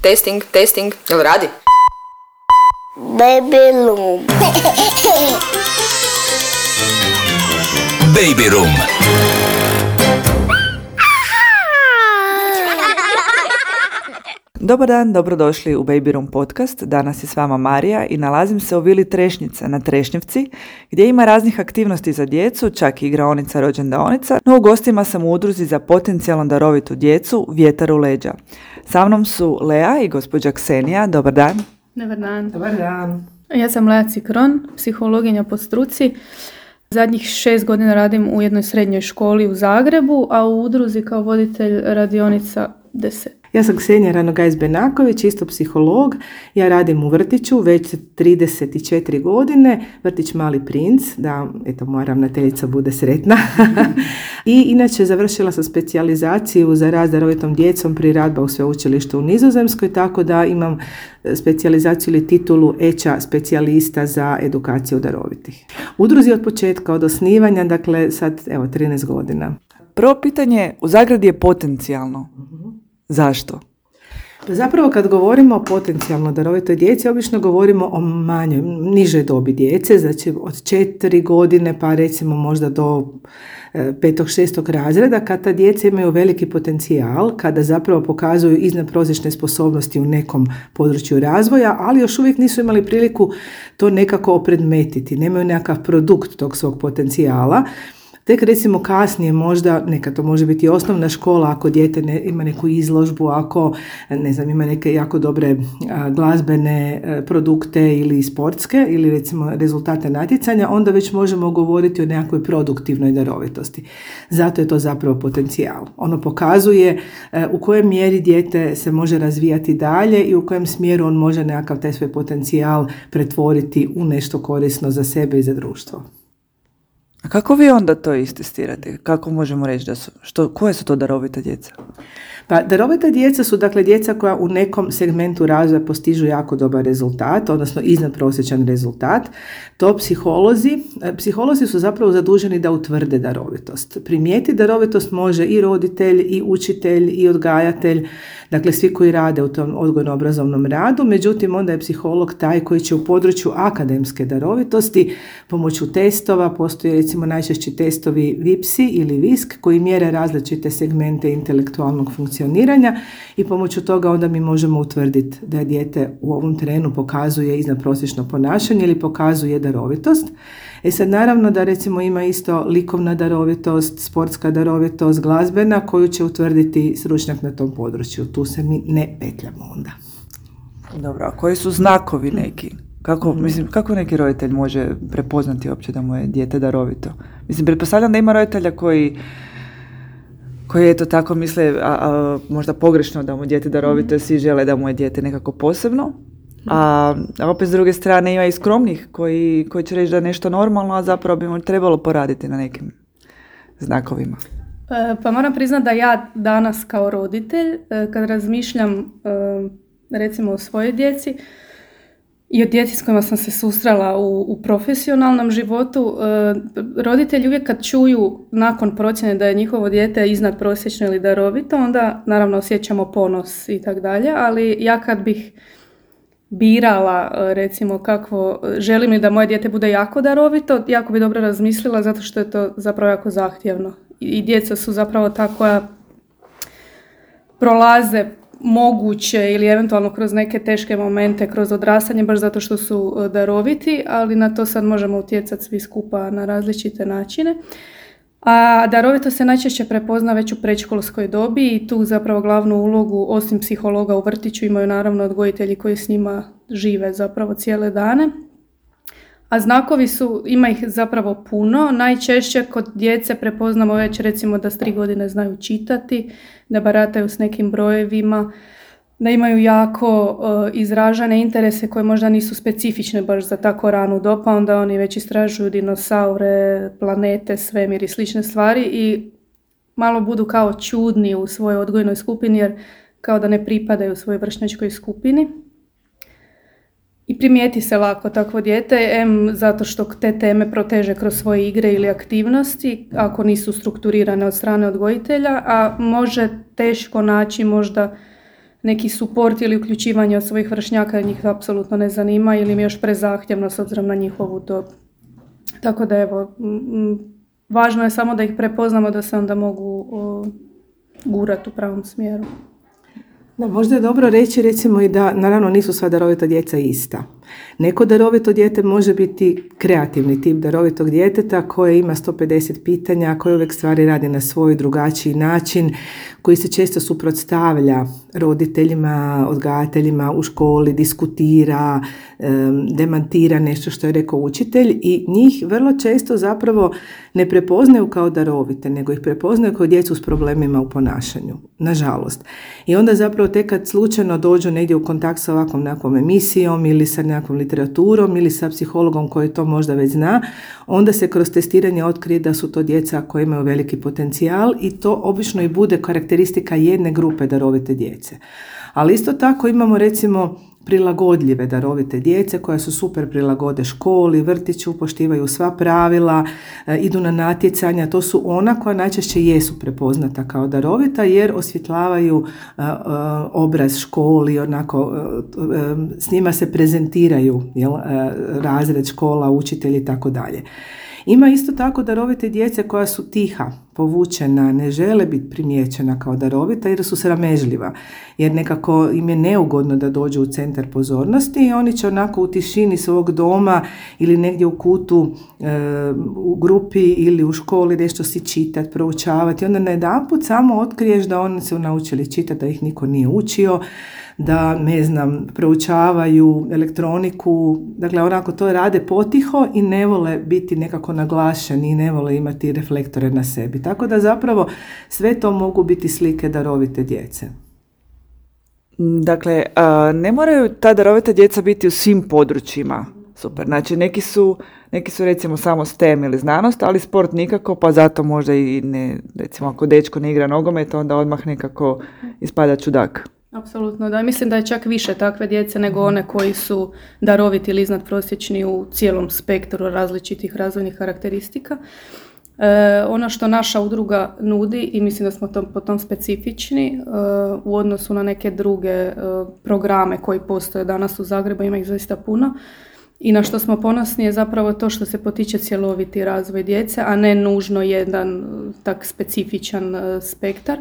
Testing, jel radi? Baby Room. Baby Room. Dobar dan, dobrodošli u Baby Room podcast. Danas je s vama Marija i nalazim se u vili Trešnjica na Trešnjevci, gdje ima raznih aktivnosti za djecu, čak i igraonica, rođendaonica, no u gostima sam u udruzi za potencijalno darovitu djecu Vjetar u leđa. Sa mnom su Lea i gospođa Ksenija. Dobar dan. Dobar dan. Dobar dan. Ja sam Lea Cikron, psihologinja po struci. Zadnjih 6 godina radim u jednoj srednjoj školi u Zagrebu, a u udruzi kao voditelj radionica 10. Ja sam Ksenija Ranogajs-Benaković, isto psiholog. Ja radim u vrtiću već 34 godine, vrtić Mali princ, da eto moja ravnateljica bude sretna. I inače završila sam specijalizaciju za rad s darovitom djecom pri Radbau sveučilištu u Nizozemskoj, tako da imam specijalizaciju ili titulu EČA specijalista za edukaciju darovitih. Udruzi od početka, od osnivanja, dakle sad evo 13 godina. Prvo pitanje, u zagradi je potencijalno. Zašto? Zapravo kad govorimo o potencijalno darovitoj djeci, obično govorimo o manjoj, nižoj dobi djece, znači od 4 godine pa recimo možda do 5. 6. razreda, kad ta djeca imaju veliki potencijal, kada zapravo pokazuju iznadprosječne sposobnosti u nekom području razvoja, ali još uvijek nisu imali priliku to nekako opredmetiti, nemaju nekakav produkt tog svog potencijala. Tek recimo kasnije možda, neka to može biti osnovna škola, ako dijete ima neku izložbu, ako ne znam, ima neke jako dobre glazbene produkte ili sportske ili recimo rezultate natjecanja, onda već možemo govoriti o nekakvoj produktivnoj darovitosti. Zato je to zapravo potencijal. Ono pokazuje u kojoj mjeri dijete se može razvijati dalje i u kojem smjeru on može nekakav taj svoj potencijal pretvoriti u nešto korisno za sebe i za društvo. A kako vi onda to istestirate? Kako možemo reći da su, koje su to darovita djeca? Pa darovita djeca su dakle djeca koja u nekom segmentu razvoja postižu jako dobar rezultat, odnosno iznadprosječan rezultat. To psiholozi su zapravo zaduženi da utvrde darovitost. Primijetiti darovitost može i roditelj, i učitelj, i odgajatelj, dakle svi koji rade u tom odgojno-obrazovnom radu, međutim onda je psiholog taj koji će u području akademske darovitosti pomoću testova, postoje recimo najčešći testovi VIPSI ili VISK koji mjere različite segmente intelektualnog funkcioniranja i pomoću toga onda mi možemo utvrditi da dijete u ovom trenu pokazuje iznadprosječno ponašanje ili pokazuje darovitost. Sad naravno da recimo ima isto likovna darovitost, sportska darovitost, glazbena koju će utvrditi stručnjak na tom području. Tu se mi ne petljamo onda. Dobro, a koji su znakovi neki? Kako neki roditelj može prepoznati uopće da mu je dijete darovito? Pretpostavljam da ima roditelja koji eto tako misle, možda pogrešno da mu je dijete darovito, svi žele da mu je dijete nekako posebno. A opet s druge strane ima i skromnih koji će reći da je nešto normalno, a zapravo bi mu trebalo poraditi na nekim znakovima. Pa moram priznati da ja danas kao roditelj, kad razmišljam recimo o svojoj djeci i o djeci s kojima sam se susrela u profesionalnom životu, roditelji uvijek kad čuju nakon procjene da je njihovo dijete iznadprosječno ili darovito, onda naravno osjećamo ponos i tak dalje, ali ja kad bih birala recimo kakvo, želim li da moje dijete bude jako darovito, jako bi dobro razmislila zato što je to zapravo jako zahtjevno. I djeca su zapravo ta koja prolaze moguće ili eventualno kroz neke teške momente, kroz odrastanje, baš zato što su daroviti, ali na to sad možemo utjecati svi skupa na različite načine. A darovito se najčešće prepozna već u predškolskoj dobi i tu zapravo glavnu ulogu, osim psihologa u vrtiću, imaju naravno odgojitelji koji s njima žive zapravo cijele dane. A znakovi ima ih zapravo puno. Najčešće kod djece prepoznamo već recimo da s 3 godine znaju čitati, da barataju s nekim brojevima, da imaju jako izražene interese koje možda nisu specifične baš za tako ranu dob, pa onda oni već istražuju dinosaure, planete, svemir i slične stvari i malo budu kao čudni u svojoj odgojnoj skupini jer kao da ne pripadaju svojoj vršnjačkoj skupini. I primijeti se lako takvo dijete, zato što te teme proteže kroz svoje igre ili aktivnosti, ako nisu strukturirane od strane odgojitelja, a može teško naći možda neki suport ili uključivanje od svojih vršnjaka, njih apsolutno ne zanima ili im je još prezahtjevno s obzirom na njihovu dob. Tako da evo, važno je samo da ih prepoznamo da se onda mogu gurati u pravom smjeru. Da, možda je dobro reći recimo i da naravno nisu sva darovita djeca ista. Neko darovito dijete može biti kreativni tip darovitog djeteta koje ima 150 pitanja, koje uvijek stvari radi na svoj drugačiji način, koji se često suprotstavlja roditeljima, odgajateljima u školi, diskutira, demantira nešto što je rekao učitelj i njih vrlo često zapravo ne prepoznaju kao darovite, nego ih prepoznaju kao djecu s problemima u ponašanju, nažalost. I onda zapravo tek kad slučajno dođu negdje u kontakt sa ovakvom nekakvom emisijom ili sa nekakvom literaturom ili sa psihologom koji to možda već zna, onda se kroz testiranje otkrije da su to djeca koja imaju veliki potencijal i to obično i bude karakteristika jedne grupe darovite djece. Ali isto tako imamo recimo prilagodljive darovite djece koja su super prilagode školi, vrtiću, poštivaju sva pravila, idu na natjecanja. To su ona koja najčešće jesu prepoznata kao darovita jer osvjetlavaju obraz školi, onako s njima se prezentiraju razred, škola, učitelji i tako dalje. Ima isto tako darovite djece koja su tiha, povučena, ne žele biti primijećena kao darovita jer su sramežljiva, jer nekako im je neugodno da dođu u centar pozornosti i oni će onako u tišini svog doma ili negdje u kutu u grupi ili u školi nešto si čitati, proučavati. Onda najedanput samo otkriješ da oni su naučili čitati, da ih niko nije učio, da, ne znam, proučavaju elektroniku, dakle onako to rade potiho i ne vole biti nekako naglašeni i ne vole imati reflektore na sebi. Tako da zapravo sve to mogu biti slike darovite djece. Dakle, ne moraju ta darovita djeca biti u svim područjima. Super, znači neki su recimo samo STEM ili znanost, ali sport nikako, pa zato možda i ne, recimo ako dečko ne igra nogomet, onda odmah nekako ispada čudak. Apsolutno, da. Mislim da je čak više takve djece nego one koji su daroviti ili iznadprosječni u cijelom spektru različitih razvojnih karakteristika. Ono što naša udruga nudi i mislim da smo po tom specifični u odnosu na neke druge programe koji postoje danas u Zagrebu, ima ih zaista puno. I na što smo ponosni je zapravo to što se potiče cjeloviti razvoj djece, a ne nužno jedan tak specifičan spektar.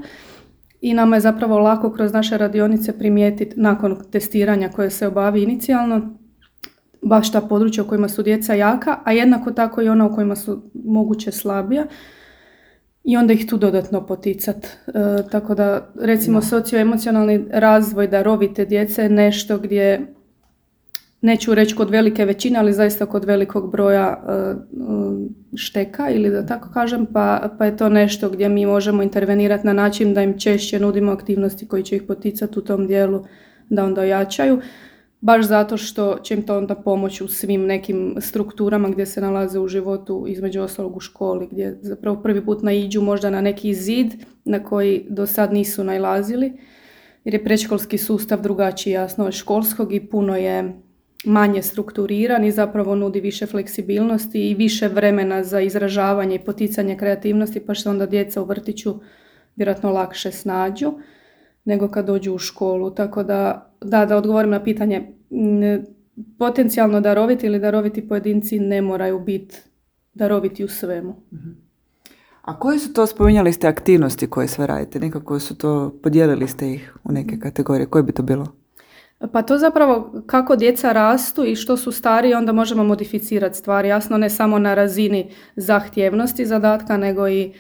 I nama je zapravo lako kroz naše radionice primijetiti nakon testiranja koje se obavi inicijalno baš ta područja u kojima su djeca jaka, a jednako tako i ona u kojima su moguće slabija i onda ih tu dodatno poticati. Tako da recimo socioemocionalni razvoj darovite djece je nešto gdje, neću reći kod velike većine, ali zaista kod velikog broja šteka ili da tako kažem, pa je to nešto gdje mi možemo intervenirati na način da im češće nudimo aktivnosti koji će ih poticati u tom dijelu da onda ojačaju, baš zato što će im to onda pomoći u svim nekim strukturama gdje se nalaze u životu, između ostalog u školi, gdje zapravo prvi put naiđu možda na neki zid na koji do sad nisu nailazili, jer je predškolski sustav drugačiji jasno od školskog i puno je manje strukturiran i zapravo nudi više fleksibilnosti i više vremena za izražavanje i poticanje kreativnosti, pa što onda djeca u vrtiću vjerojatno lakše snađu nego kad dođu u školu. Tako da odgovorim na pitanje, potencijalno daroviti ili daroviti pojedinci ne moraju biti daroviti u svemu. A koje su to, spominjali ste aktivnosti koje sve radite, nekako su to, podijelili ste ih u neke kategorije, koje bi to bilo? Pa to zapravo kako djeca rastu i što su stariji, onda možemo modificirati stvari. Jasno, ne samo na razini zahtjevnosti zadatka, nego i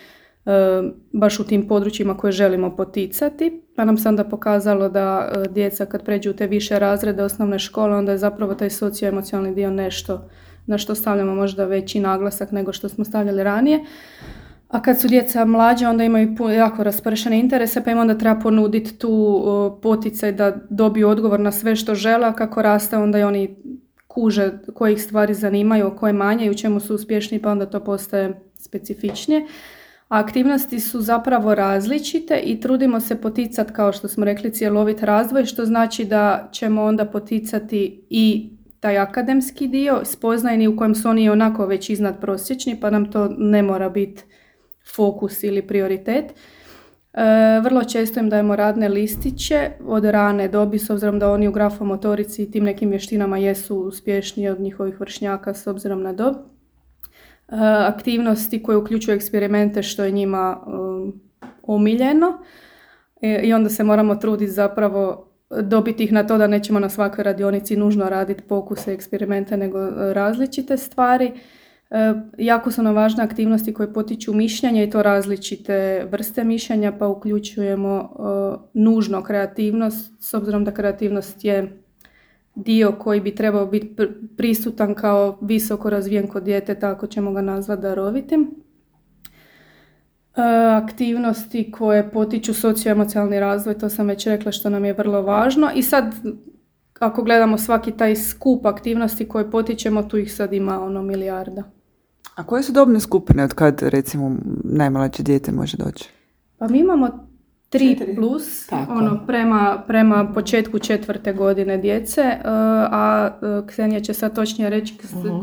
baš u tim područjima koje želimo poticati. Pa nam se onda pokazalo da djeca kad pređu u te više razrede osnovne škole, onda je zapravo taj socioemocionalni dio nešto na što stavljamo možda veći naglasak nego što smo stavljali ranije. A kad su djeca mlađe, onda imaju jako raspršene interese, pa im onda treba ponuditi tu poticaj da dobiju odgovor na sve što žele, a kako raste, onda i oni kuže koje ih stvari zanimaju, koje manje i u čemu su uspješni, pa onda to postaje specifičnije. A aktivnosti su zapravo različite i trudimo se poticati, kao što smo rekli, cjelovit razvoj, što znači da ćemo onda poticati i taj akademski dio, spoznajni u kojem su oni onako već iznadprosječni, pa nam to ne mora biti fokus ili prioritet, Vrlo često im dajemo radne listiće od rane dobi, s obzirom da oni u grafomotorici i tim nekim vještinama jesu uspješniji od njihovih vršnjaka s obzirom na dob. Aktivnosti koje uključuju eksperimente što je njima omiljeno i onda se moramo truditi zapravo dobiti ih na to da nećemo na svakoj radionici nužno raditi pokuse, eksperimente, nego različite stvari. Jako su nam važne aktivnosti koje potiču mišljenje i to različite vrste mišljenja, pa uključujemo nužno kreativnost, s obzirom da kreativnost je dio koji bi trebao biti prisutan kao visoko razvijen kod djeteta, ako ćemo ga nazvati darovitim. Aktivnosti koje potiču socioemocionalni razvoj, to sam već rekla što nam je vrlo važno. I sad, ako gledamo svaki taj skup aktivnosti koje potičemo, tu ih sad ima milijarda. A koje su dobne skupine od kad, recimo, najmlađe dijete može doći? Pa mi imamo 3+, prema početku 4. godine djece, a Ksenija će sad točnije reći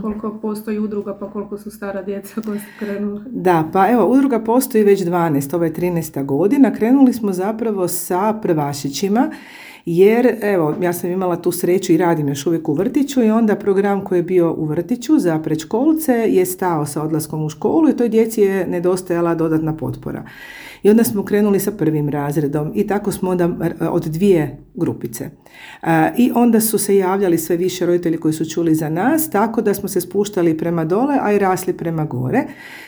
koliko postoji udruga, pa koliko su stara djeca koja su krenula. Da, pa evo, udruga postoji već 12, ovo je 13. godina. Krenuli smo zapravo sa prvašićima, jer evo, ja sam imala tu sreću i radim još uvijek u vrtiću i onda program koji je bio u vrtiću za predškolce je stao sa odlaskom u školu i toj djeci je nedostajala dodatna potpora. I onda smo krenuli sa 1. razredom i tako smo onda od 2 grupice. I onda su se javljali sve više roditelji koji su čuli za nas, tako da smo se spuštali prema dole, a i rasli prema gore.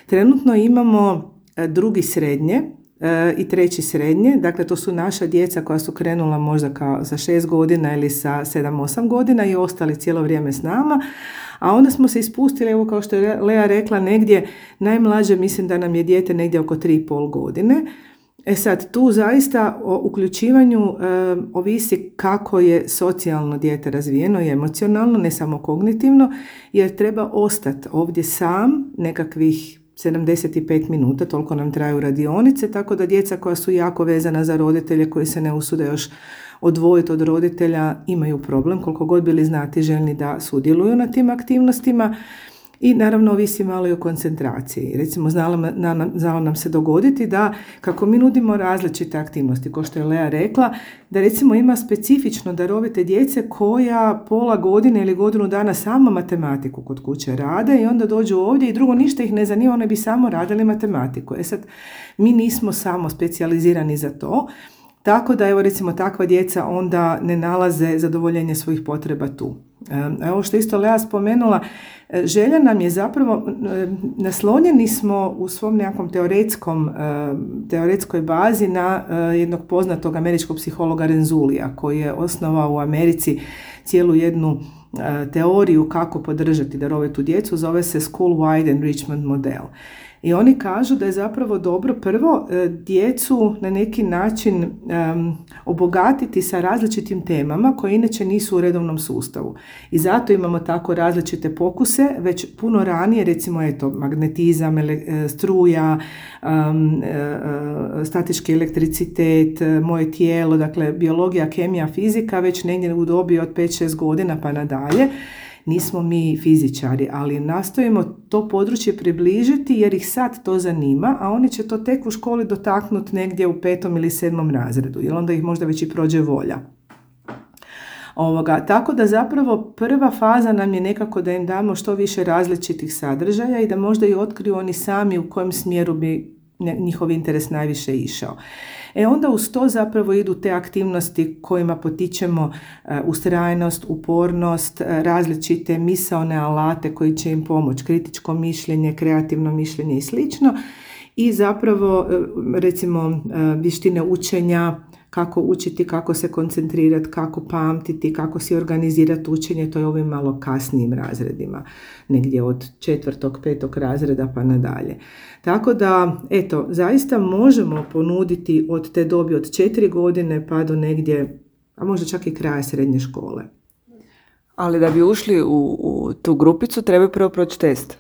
Trenutno imamo 2. srednje i 3. srednje, dakle to su naša djeca koja su krenula možda kao sa 6 godina ili sa 7-8 godina i ostali cijelo vrijeme s nama. A onda smo se ispustili, evo kao što je Lea rekla, negdje najmlađe, mislim da nam je dijete negdje oko 3,5 godine. Sad, tu zaista o uključivanju ovisi kako je socijalno dijete razvijeno i emocionalno, ne samo kognitivno, jer treba ostati ovdje sam nekakvih 75 minuta, toliko nam traju radionice, tako da djeca koja su jako vezana za roditelje, koji se ne usude još odvojiti od roditelja, imaju problem, koliko god bili znati željni da sudjeluju na tim aktivnostima. I naravno ovisi malo i o koncentraciji. Recimo, znalo nam se dogoditi da kako mi nudimo različite aktivnosti, kao što je Lea rekla, da recimo ima specifično darovite djece koja pola godine ili godinu dana samo matematiku kod kuće rade i onda dođu ovdje i drugo ništa ih ne zanima, one bi samo radili matematiku. Sad, mi nismo samo specijalizirani za to, tako da evo recimo takva djeca onda ne nalaze zadovoljenje svojih potreba tu. Ovo što isto Lea spomenula, želja nam je zapravo, naslonjeni smo u svom nekakvom teoretskoj bazi na jednog poznatog američkog psihologa Renzulija, koji je osnovao u Americi cijelu jednu teoriju kako podržati darovitu djecu, zove se School Wide Enrichment model. I oni kažu da je zapravo dobro prvo djecu na neki način obogatiti sa različitim temama koje inače nisu u redovnom sustavu. I zato imamo tako različite pokuse, već puno ranije, recimo magnetizam, struja, statički elektricitet, moje tijelo, dakle biologija, kemija, fizika, već negdje u dobi od 5-6 godina pa nadalje. Nismo mi fizičari, ali nastojimo to područje približiti jer ih sad to zanima, a oni će to tek u školi dotaknuti negdje u 5. ili 7. razredu, jer onda ih možda već i prođe volja. Tako da zapravo prva faza nam je nekako da im damo što više različitih sadržaja i da možda i otkriju oni sami u kojem smjeru bi njihov interes najviše išao. Onda uz to zapravo idu te aktivnosti kojima potičemo ustrajnost, upornost, različite misaone alate koji će im pomoći, kritičko mišljenje, kreativno mišljenje i slično. I zapravo recimo vještine učenja, kako učiti, kako se koncentrirati, kako pamtiti, kako si organizirati učenje, to je ovim malo kasnijim razredima, negdje od 4., 5. razreda pa nadalje. Tako da, zaista možemo ponuditi od te dobi od 4 godine pa do negdje, a možda čak i kraja srednje škole. Ali da bi ušli u tu grupicu treba prvo proći test,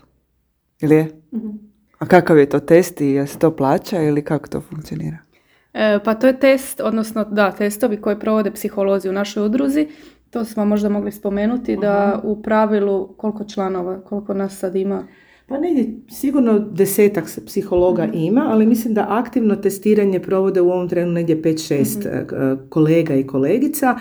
ili je? Mm-hmm. A kakav je to test i je se to plaća ili kako to funkcionira? Pa to je test, odnosno testovi koje provode psiholozi u našoj udruzi. To smo možda mogli spomenuti da u pravilu, koliko članova, koliko nas sad ima? Pa negdje sigurno 10 psihologa ima, ali mislim da aktivno testiranje provode u ovom trenu negdje 5-6 kolega i kolegica.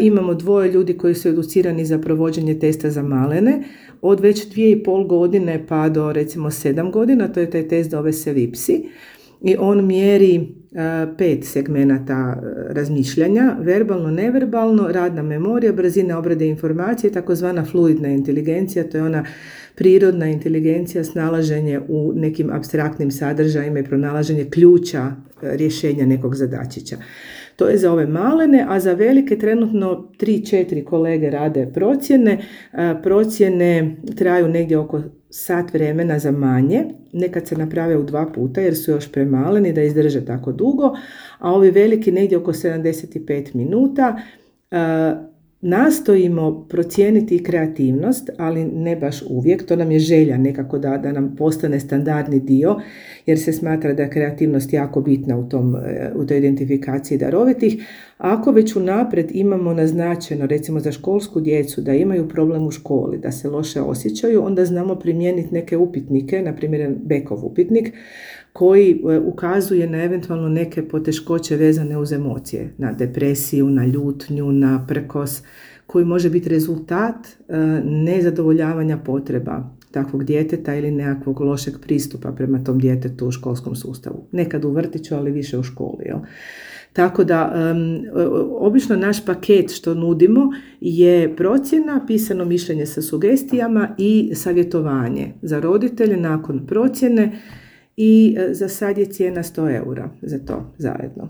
Imamo 2 ljudi koji su educirani za provođenje testa za malene, od već 2,5 godine pa do recimo 7 godina, to je taj test zove se VIPSI. I on mjeri 5 segmenata razmišljanja, verbalno, neverbalno, radna memorija, brzina obrade informacije, takozvana fluidna inteligencija, to je ona prirodna inteligencija, snalaženje u nekim apstraktnim sadržajima i pronalaženje ključa rješenja nekog zadačića. To je za ove malene, a za velike trenutno 3-4 kolege rade procjene. Procjene traju negdje oko sat vremena za manje, nekad se naprave u 2 puta jer su još premaleni da izdrže tako dugo, a ovi veliki negdje oko 75 minuta. Nastojimo procijeniti kreativnost, ali ne baš uvijek, to nam je želja nekako da nam postane standardni dio, jer se smatra da je kreativnost jako bitna u toj identifikaciji darovitih. Ako već unaprijed imamo naznačeno, recimo za školsku djecu, da imaju problem u školi, da se loše osjećaju, onda znamo primijeniti neke upitnike, na primjer Beckov upitnik, koji ukazuje na eventualno neke poteškoće vezane uz emocije, na depresiju, na ljutnju, na prkos, koji može biti rezultat nezadovoljavanja potreba takvog djeteta ili nekakvog lošeg pristupa prema tom djetetu u školskom sustavu. Nekad u vrtiću, ali više u školi. Jel? Tako da, obično naš paket što nudimo je procjena, pisano mišljenje sa sugestijama i savjetovanje za roditelje nakon procjene. I za sad je cijena 100 eura za to zajedno.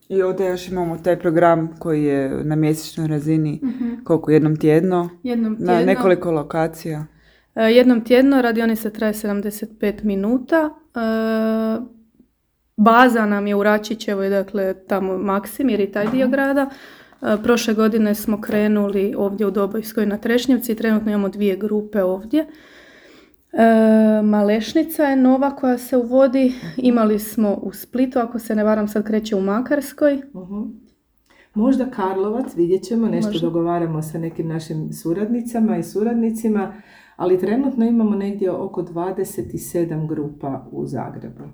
I ovdje još imamo taj program koji je na mjesečnoj razini, koliko, jednom tjedno? Na nekoliko lokacija? Jednom tjedno, radionica traje 75 minuta. Baza nam je u Račićevoj, dakle tamo Maksimir i taj dio grada. Prošle godine smo krenuli ovdje u Dobojskoj na Trešnjevci, trenutno imamo 2 grupe ovdje. Malešnica je nova koja se uvodi, imali smo u Splitu, ako se ne varam sad kreće u Makarskoj. Možda Karlovac, vidjet ćemo, nešto dogovaramo sa nekim našim suradnicama i suradnicima, ali trenutno imamo negdje oko 27 grupa u Zagrebu.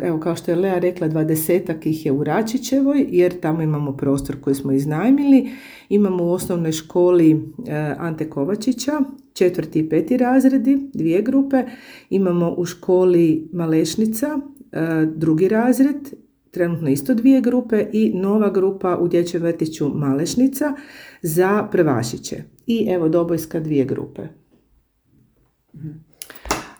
Evo, kao što je Lea rekla, 20 ih je u Račićevoj, jer tamo imamo prostor koji smo iznajmili. Imamo u osnovnoj školi Ante Kovačića, 4. i 5. razredi, 2 grupe. Imamo u školi Malešnica, 2. razred, trenutno isto 2 grupe i nova grupa u dječjem vrtiću Malešnica za prvašiće. I evo Dobojska 2 grupe.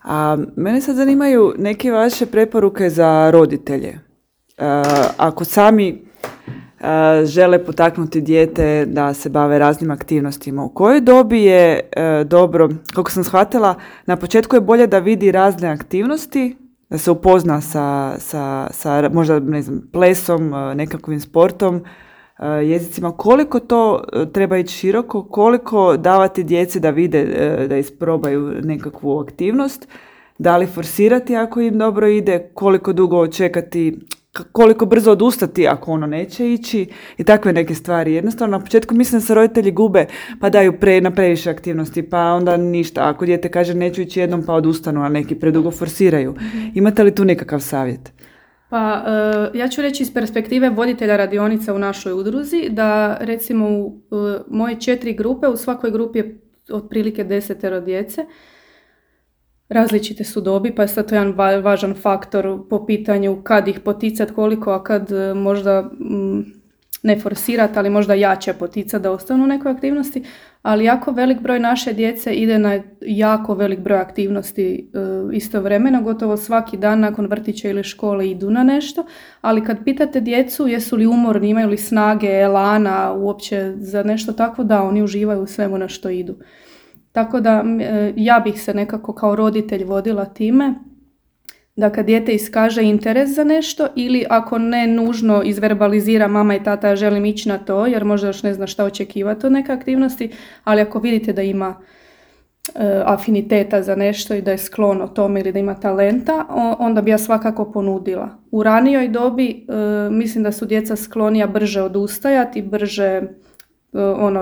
A mene sad zanimaju neke vaše preporuke za roditelje. Ako sami žele potaknuti dijete da se bave raznim aktivnostima, u kojoj dobi je dobro, kako sam shvatila, na početku je bolje da vidi razne aktivnosti, da se upozna sa možda ne znam, plesom, nekakvim sportom, jezicima, koliko to treba ići široko, koliko davati djeci da vide, da isprobaju nekakvu aktivnost, da li forsirati ako im dobro ide, koliko dugo čekati, koliko brzo odustati ako ono neće ići i takve neke stvari. Jednostavno na početku mislim da se roditelji gube pa daju na previše aktivnosti pa onda ništa. Ako dijete kaže neću ići jednom pa odustanu, a neki predugo forsiraju. Imate li tu nekakav savjet? Pa ja ću reći iz perspektive voditelja radionica u našoj udruzi da recimo u moje 4 grupe, u svakoj grupi je otprilike 10 djece. Različite su dobi, pa je sad to jedan važan faktor po pitanju kad ih poticati koliko, a kad možda ne forsirati, ali možda jače poticati da ostanu u nekoj aktivnosti. Ali jako velik broj naše djece ide na jako velik broj aktivnosti istovremeno, gotovo svaki dan nakon vrtića ili škole idu na nešto, ali kad pitate djecu jesu li umorni, imaju li snage, elana uopće za nešto tako, da oni uživaju u svemu na što idu. Tako da ja bih se nekako kao roditelj vodila time da kad dijete iskaže interes za nešto ili ako ne nužno izverbalizira mama i tata želim ići na to jer možda još ne zna šta očekivati od neke aktivnosti, ali ako vidite da ima afiniteta za nešto i da je sklono tome ili da ima talenta, onda bi ja svakako ponudila. U ranijoj dobi mislim da su djeca sklonija brže odustajati, brže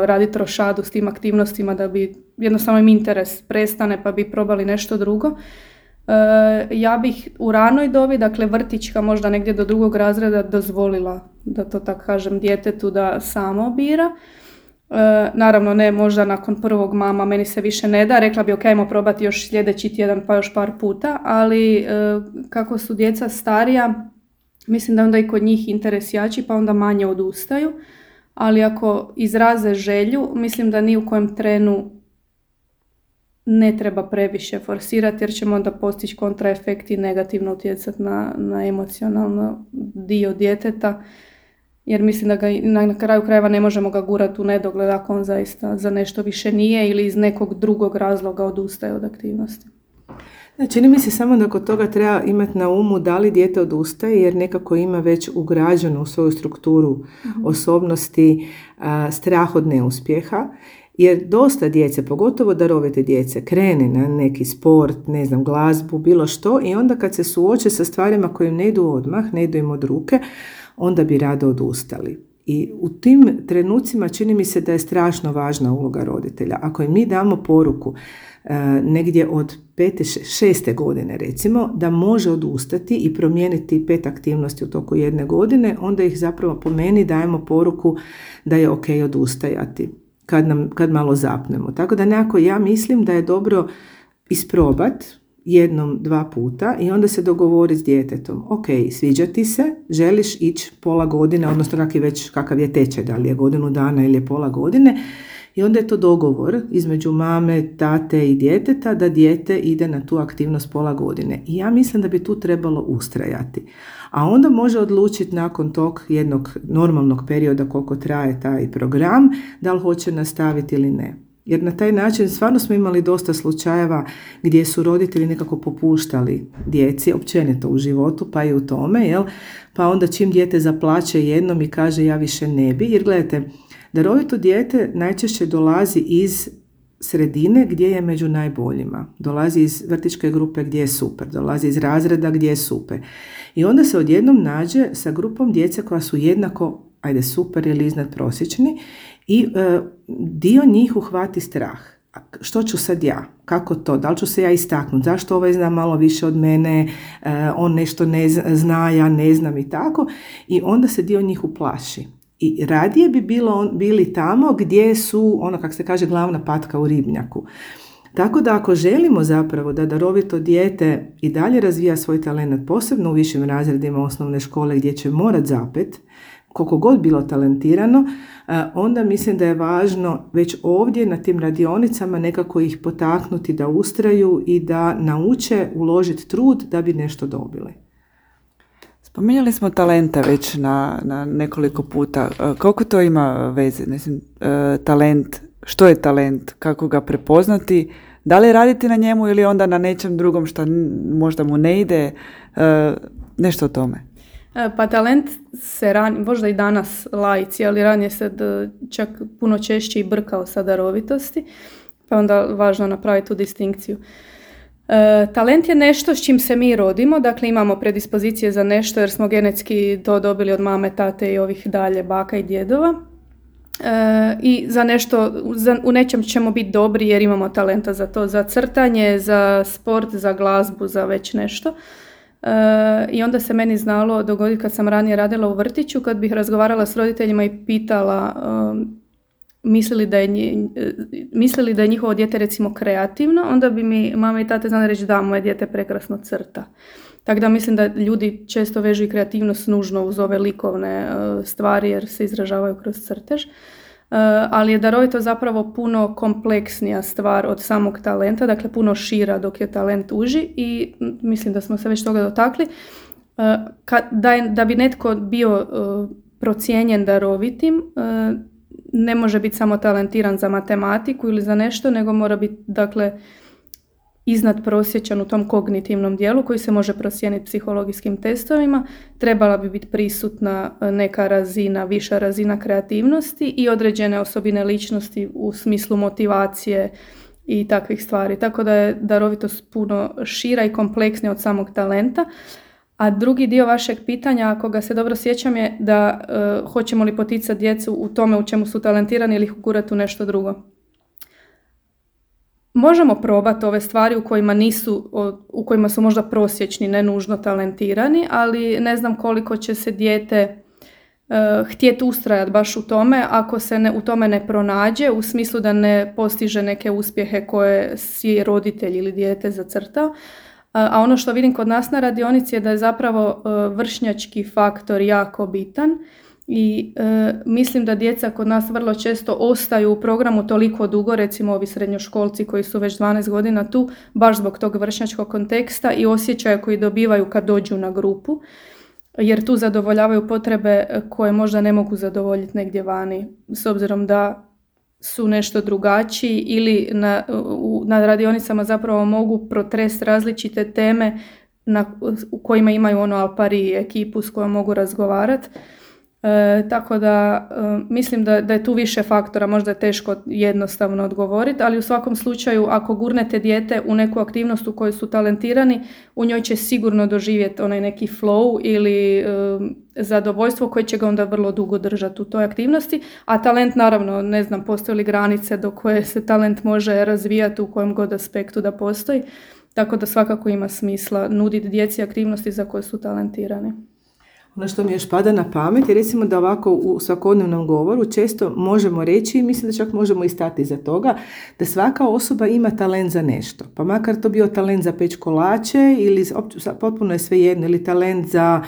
raditi rošadu s tim aktivnostima da bi jednostavno im interes prestane pa bi probali nešto drugo. Ja bih u ranoj dobi, dakle vrtićka možda negdje do 2. razreda dozvolila, da to tako kažem, djetetu da samo bira. Naravno ne možda nakon 1. mama meni se više ne da, rekla bi ok, ajmo probati još sljedeći tjedan pa još par puta, ali kako su djeca starija, mislim da onda i kod njih interes jači pa onda manje odustaju, ali ako izraze želju, mislim da ni u kojem trenu ne treba previše forsirati jer ćemo onda postići kontraefekt i negativno utjecati na emocionalno dio djeteta, jer mislim da ga na kraju krajeva ne možemo ga gurati u nedogled ako on zaista za nešto više nije ili iz nekog drugog razloga odustaje od aktivnosti. Čini mi se samo da kod toga treba imati na umu da li dijete odustaje jer nekako ima već ugrađeno u svoju strukturu osobnosti strah od neuspjeha. Jer dosta djece, pogotovo darovite djece, krene na neki sport, ne znam, glazbu, bilo što i onda kad se suoče sa stvarima koje im ne idu odmah, ne idu im od ruke, onda bi rado odustali. I u tim trenucima čini mi se da je strašno važna uloga roditelja. Ako im mi damo poruku negdje od 5. 6. godine recimo, da može odustati i promijeniti 5 aktivnosti u toku 1 godine, onda ih zapravo po meni dajemo poruku da je ok odustajati. Kad malo zapnemo. Tako da nekako ja mislim da je dobro isprobat 1, 2 puta i onda se dogovori s djetetom. Ok, sviđa ti se, želiš ići pola godine, odnosno kakav je tečaj, da li je godinu dana ili je pola godine. I onda je to dogovor između mame, tate i djeteta da dijete ide na tu aktivnost pola godine. I ja mislim da bi tu trebalo ustrajati. A onda može odlučiti nakon tog jednog normalnog perioda koliko traje taj program, da li hoće nastaviti ili ne. Jer na taj način stvarno smo imali dosta slučajeva gdje su roditelji nekako popuštali djeci, općenito u životu, pa i u tome, jel? Pa onda čim dijete zaplače jednom i kaže ja više ne bi, jer gledajte, darovito dijete najčešće dolazi iz sredine gdje je među najboljima. Dolazi iz vrtićke grupe gdje je super, dolazi iz razreda gdje je super. I onda se odjednom nađe sa grupom djece koja su jednako, super ili iznad prosječni i dio njih uhvati strah. Što ću sad ja? Kako to? Da li ću se ja istaknuti? Zašto ovaj zna malo više od mene? On nešto ne zna, ja ne znam i tako. I onda se dio njih uplaši. I radije bi bili tamo gdje su, kako se kaže, glavna patka u ribnjaku. Tako da ako želimo zapravo da darovito dijete i dalje razvija svoj talent, posebno u višim razredima osnovne škole gdje će morat zapet, koliko god bilo talentirano, onda mislim da je važno već ovdje na tim radionicama nekako ih potaknuti da ustraju i da nauče uložiti trud da bi nešto dobili. Spominjali smo talenta već na nekoliko puta. Koliko to ima veze? Mislim, talent, što je talent, kako ga prepoznati, da li raditi na njemu ili onda na nečem drugom što možda mu ne ide, nešto o tome. Pa talent se možda i danas laici, ali ranije se čak puno češće i brkao sa darovitosti, pa onda važno napraviti tu distinkciju. Talent je nešto s čim se mi rodimo, dakle imamo predispozicije za nešto jer smo genetski to dobili od mame, tate i ovih dalje baka i djedova. I za nešto, u nečem ćemo biti dobri jer imamo talenta za to, za crtanje, za sport, za glazbu, za već nešto. I onda se meni znalo dogoditi kad sam ranije radila u vrtiću, kad bih razgovarala s roditeljima i pitala mislili da je njihovo dijete recimo kreativno, onda bi mi mama i tate znali reći da, moje dijete prekrasno crta. Tako da mislim da ljudi često vežu i kreativnost nužno uz ove likovne stvari jer se izražavaju kroz crtež. Ali je darovito zapravo puno kompleksnija stvar od samog talenta, dakle puno šira dok je talent uži i mislim da smo se već toga dotakli. Da bi netko bio procijenjen darovitim, ne može biti samo talentiran za matematiku ili za nešto, nego mora biti dakle iznad prosječan u tom kognitivnom dijelu koji se može procijeniti psihologijskim testovima. Trebala bi biti prisutna neka razina, viša razina kreativnosti i određene osobine ličnosti u smislu motivacije i takvih stvari. Tako da je darovitost puno šira i kompleksnija od samog talenta. A drugi dio vašeg pitanja, ako ga se dobro sjećam, je da hoćemo li poticati djecu u tome u čemu su talentirani ili ih ugurati u nešto drugo. Možemo probati ove stvari u kojima su možda prosječni, ne nužno talentirani, ali ne znam koliko će se dijete htjeti ustrajati baš u tome ako se u tome ne pronađe, u smislu da ne postiže neke uspjehe koje si roditelj ili dijete zacrtao. A ono što vidim kod nas na radionici je da je zapravo vršnjački faktor jako bitan i mislim da djeca kod nas vrlo često ostaju u programu toliko dugo, recimo ovi srednjoškolci koji su već 12 godina tu, baš zbog tog vršnjačkog konteksta i osjećaja koji dobivaju kad dođu na grupu, jer tu zadovoljavaju potrebe koje možda ne mogu zadovoljiti negdje vani, s obzirom da su nešto drugačiji ili na radionicama zapravo mogu protresti različite teme u kojima imaju al pari ekipu s kojom mogu razgovarati. Tako da mislim da je tu više faktora, možda je teško jednostavno odgovoriti, ali u svakom slučaju ako gurnete dijete u neku aktivnost u kojoj su talentirani, u njoj će sigurno doživjeti onaj neki flow ili zadovoljstvo koje će ga onda vrlo dugo držati u toj aktivnosti, a talent naravno, ne znam, postoje li granice do koje se talent može razvijati u kojem god aspektu da postoji, tako da svakako ima smisla nuditi djeci aktivnosti za koje su talentirani. Ono što mi još pada na pamet je recimo da ovako u svakodnevnom govoru često možemo reći, i mislim da čak možemo i stati iza toga, da svaka osoba ima talent za nešto. Pa makar to bio talent za peć kolače ili potpuno je svejedno, ili talent za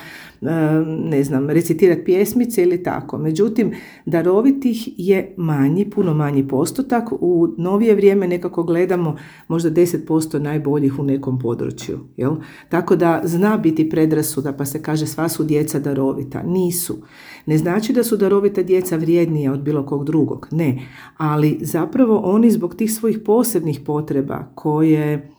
ne znam, recitirati pjesmice ili tako. Međutim, darovitih je manji, puno manji postotak. U novije vrijeme nekako gledamo možda 10% najboljih u nekom području. Jel? Tako da zna biti predrasuda pa se kaže sva su djeca darovita. Nisu. Ne znači da su darovita djeca vrijednija od bilo kog drugog. Ne. Ali zapravo oni zbog tih svojih posebnih potreba koje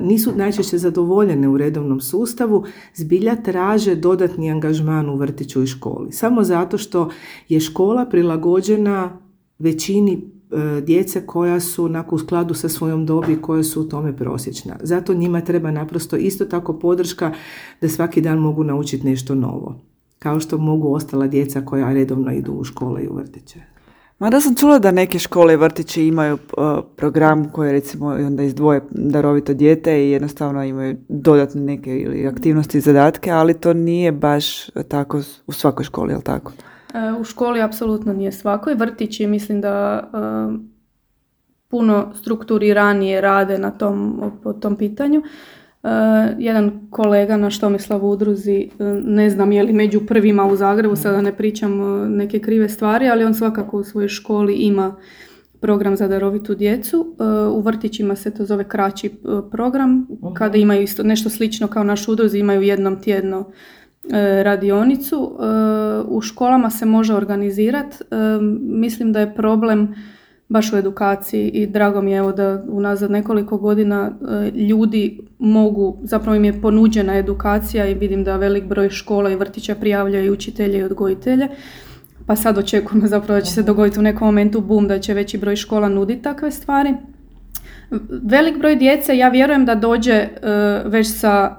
nisu najčešće zadovoljene u redovnom sustavu, zbilja traže dodatni angažman u vrtiću i školi. Samo zato što je škola prilagođena većini djece koja su u skladu sa svojom dobi, koje su u tome prosječna. Zato njima treba naprosto isto tako podrška da svaki dan mogu naučiti nešto novo. Kao što mogu ostala djeca koja redovno idu u škole i u vrtiće. Mada sam čula da neke škole i vrtići imaju program koji recimo onda izdvoje darovito dijete i jednostavno imaju dodatne neke ili aktivnosti i zadatke, ali to nije baš tako u svakoj školi, je li tako? U školi apsolutno nije svakoj. Vrtići mislim da puno strukturiranije rade po tom pitanju. Jedan kolega naš Tomislav u udruzi, ne znam je li među prvima u Zagrebu, sada ne pričam neke krive stvari, ali on svakako u svojoj školi ima program za darovitu djecu. U vrtićima se to zove kraći program, kada imaju isto nešto slično kao naš udruzi, imaju jednom tjedno radionicu. U školama se može organizirati. Mislim da je problem baš u edukaciji i drago mi je evo da unazad nekoliko godina ljudi mogu, zapravo im je ponuđena edukacija i vidim da velik broj škola i vrtića prijavljaju i učitelje i odgojitelje. Pa sad očekujemo zapravo da će se dogoditi u nekom momentu boom, da će veći broj škola nuditi takve stvari. Velik broj djece, ja vjerujem da dođe već sa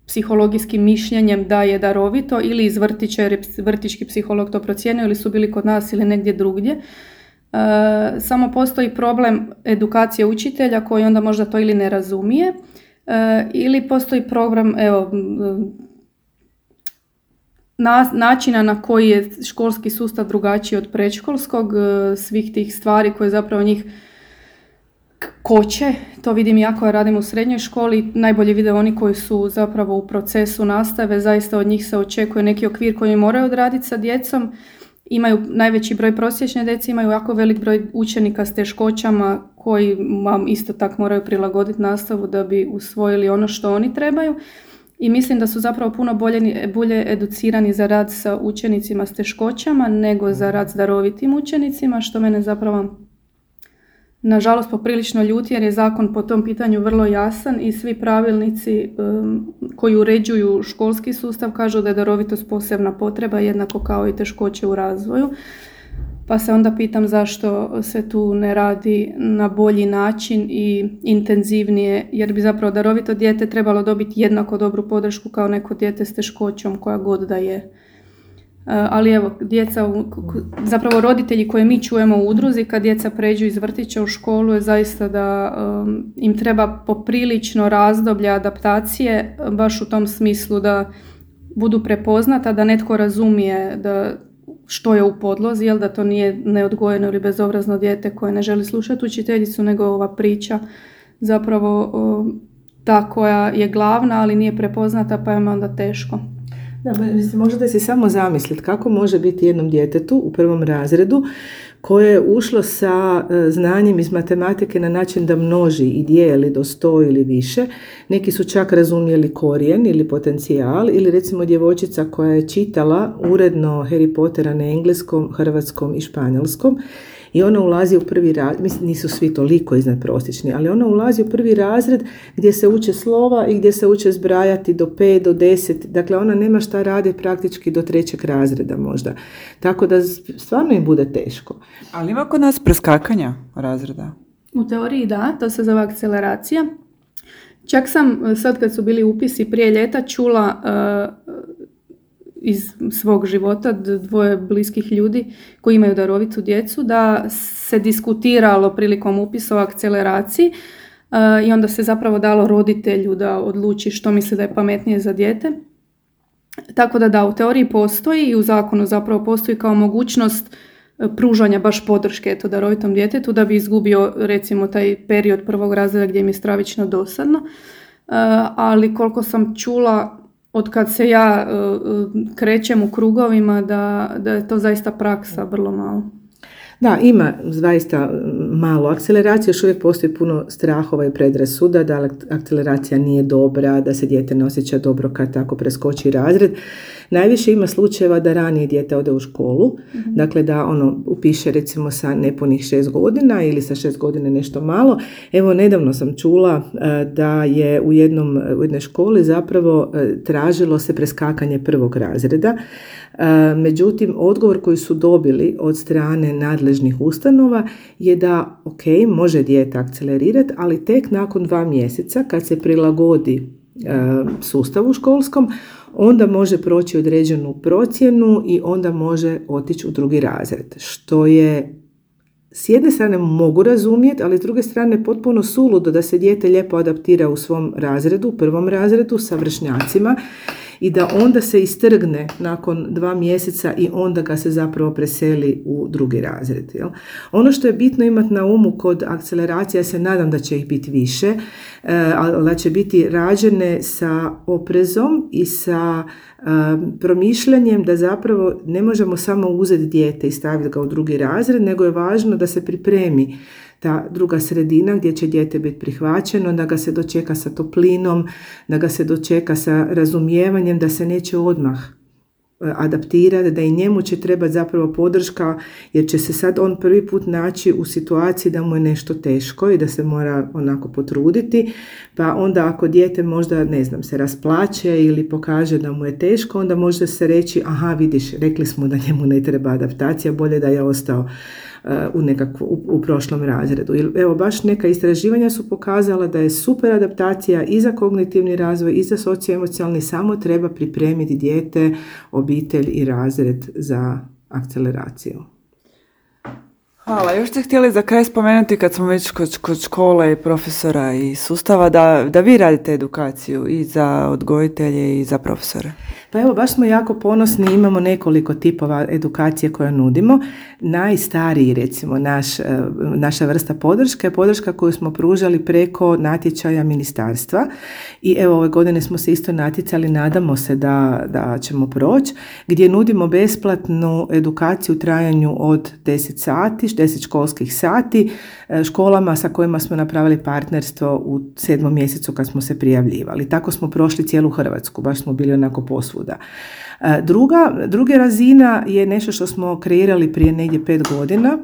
psihologijskim mišljenjem da je darovito ili iz vrtića jer je vrtićki psiholog to procijenio ili su bili kod nas ili negdje drugdje. Samo postoji problem edukacije učitelja koji onda možda to ili ne razumije ili postoji program načina na koji je školski sustav drugačiji od predškolskog, svih tih stvari koje zapravo njih koče. To vidim ja koja radim u srednjoj školi, najbolje vide oni koji su zapravo u procesu nastave, zaista od njih se očekuje neki okvir koji moraju odraditi sa djecom. Imaju najveći broj prosječne djece, imaju jako velik broj učenika s teškoćama koji vam isto tako moraju prilagoditi nastavu da bi usvojili ono što oni trebaju. I mislim da su zapravo puno bolje educirani za rad sa učenicima s teškoćama nego za rad s darovitim učenicima, što mene zapravo nažalost poprilično ljuti jer je zakon po tom pitanju vrlo jasan i svi pravilnici koji uređuju školski sustav kažu da je darovitost posebna potreba jednako kao i teškoće u razvoju. pa se onda pitam zašto se tu ne radi na bolji način i intenzivnije, jer bi zapravo darovito dijete trebalo dobiti jednako dobru podršku kao neko dijete s teškoćom koja god da je. Ali evo, zapravo roditelji koje mi čujemo u udruzi kad djeca pređu iz vrtića u školu je zaista da im treba poprilično razdoblje adaptacije, baš u tom smislu da budu prepoznata, da netko razumije što je u podlozi, jel da to nije neodgojeno ili bezobrazno dijete koje ne želi slušati učiteljicu, nego ova priča zapravo ta koja je glavna, ali nije prepoznata, pa je onda teško. Da, mislim, možete si samo zamisliti kako može biti jednom djetetu u 1. razredu koje je ušlo sa znanjem iz matematike na način da množi i dijeli do 100 ili više. Neki su čak razumjeli korijen ili potencijal, ili recimo djevojčica koja je čitala uredno Harry Pottera na engleskom, hrvatskom i španjolskom. I ona ulazi u 1. razred, mislim nisu svi toliko iznadprosječni, ali ona ulazi u 1. razred gdje se uče slova i gdje se uče zbrajati do 5, do 10. Dakle, ona nema šta raditi praktički do 3. razreda možda. Tako da stvarno im bude teško. Ali ima kod nas preskakanja razreda? U teoriji da, to se zove akceleracija. Čak sam sad kad su bili upisi prije ljeta čula iz svog života 2 bliskih ljudi koji imaju darovitu djecu da se diskutiralo prilikom upisa o akceleraciji i onda se zapravo dalo roditelju da odluči što misli da je pametnije za dijete. Tako da, u teoriji postoji i u zakonu zapravo postoji kao mogućnost pružanja baš podrške darovitom djetetu da bi izgubio recimo taj period 1. razreda gdje im je stravično dosadno. Ali koliko sam čula od kad se ja krećem u krugovima da je to zaista praksa vrlo malo. Da, ima zaista malo akceleracije, još uvijek postoji puno strahova i predrasuda da akceleracija nije dobra, da se dijete ne osjeća dobro kad tako preskoči razred. Najviše ima slučajeva da ranije dijete ode u školu, dakle da upiše recimo sa nepunih 6 godina ili sa 6 godina nešto malo. Evo, nedavno sam čula da je u jednoj školi zapravo tražilo se preskakanje 1. razreda. Međutim, odgovor koji su dobili od strane nadležnih ustanova je da može dijete akcelerirati, ali tek nakon 2 mjeseca kad se prilagodi sustavu školskom, onda može proći određenu procjenu i onda može otići u 2. razred. Što je s jedne strane mogu razumjeti, ali s druge strane potpuno suludo da se dijete lijepo adaptira u svom razredu, 1. razredu sa vršnjacima i da onda se istrgne nakon 2 mjeseca i onda ga se zapravo preseli u 2. razred. Jel? Ono što je bitno imati na umu kod akceleracija, ja se nadam da će ih biti više, ali da će biti rađene sa oprezom i sa promišljanjem da zapravo ne možemo samo uzeti dijete i staviti ga u 2. razred, nego je važno da se pripremi ta druga sredina gdje će dijete biti prihvaćeno, da ga se dočeka sa toplinom, da ga se dočeka sa razumijevanjem, da se neće odmah adaptirati, da i njemu će trebati zapravo podrška, jer će se sad on prvi put naći u situaciji da mu je nešto teško i da se mora onako potruditi, pa onda ako dijete možda, se rasplače ili pokaže da mu je teško, onda može se reći, aha, vidiš, rekli smo da njemu ne treba adaptacija, bolje da je ostao u prošlom razredu. Evo, baš neka istraživanja su pokazala da je super adaptacija i za kognitivni razvoj i za socioemocionalni, samo treba pripremiti dijete, obitelj i razred za akceleraciju. Hvala. Još ste htjeli za kraj spomenuti, kad smo već kod škole i profesora i sustava, da vi radite edukaciju i za odgojitelje i za profesore. Pa evo, baš smo jako ponosni, imamo nekoliko tipova edukacije koje nudimo. Najstariji, recimo, naša vrsta podrške je podrška koju smo pružali preko natječaja ministarstva i evo, ove godine smo se isto natjecali, nadamo se da ćemo proći, gdje nudimo besplatnu edukaciju u trajanju od 10 sati, 10 školskih sati, školama sa kojima smo napravili partnerstvo u 7. mjesecu kad smo se prijavljivali. Tako smo prošli cijelu Hrvatsku, baš smo bili onako posvuda. Druga razina je nešto što smo kreirali prije negdje 5 godina.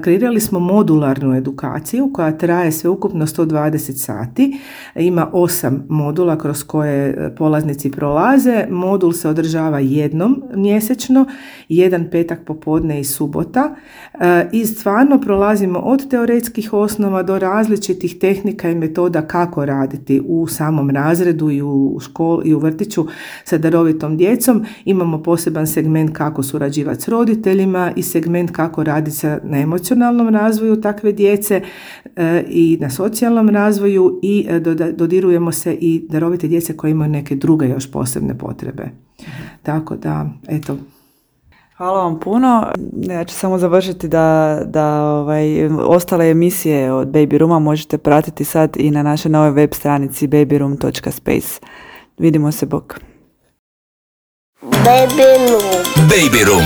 kreirali smo modularnu edukaciju koja traje sveukupno 120 sati. Ima 8 modula kroz koje polaznici prolaze. Modul se održava jednom mjesečno, jedan petak popodne i subota. I stvarno prolazimo od teoretskih osnova do različitih tehnika i metoda kako raditi u samom razredu i u školi i u vrtiću sa darovitom djecom. Imamo poseban segment kako surađivati s roditeljima i segment kako raditi na emocionalnom razvoju takve djece i na socijalnom razvoju i dodirujemo se i darovite djece koje imaju neke druge još posebne potrebe. Tako da, eto. Hvala vam puno. Ja ću samo završiti da ostale emisije od Baby Rooma možete pratiti sad i na našoj novoj web stranici babyroom.space. Vidimo se, bok. Baby Room.